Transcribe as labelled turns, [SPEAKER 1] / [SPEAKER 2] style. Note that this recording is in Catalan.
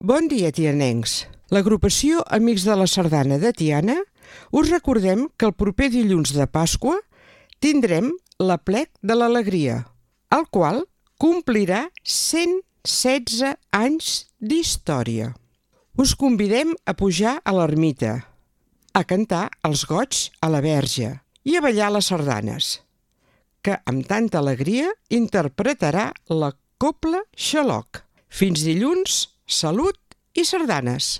[SPEAKER 1] Bon dia, tianencs. L'agrupació Amics de la Sardana de Tiana us recordem que el proper dilluns de Pasqua tindrem l'Aplec de l'Alegria, el qual complirà 116 anys d'història. Us convidem a pujar a l'ermita, a cantar els goigs a la Verge i a ballar les sardanes, que amb tanta alegria interpretarà la Cobla Xaloc. Fins dilluns, salut i sardanes!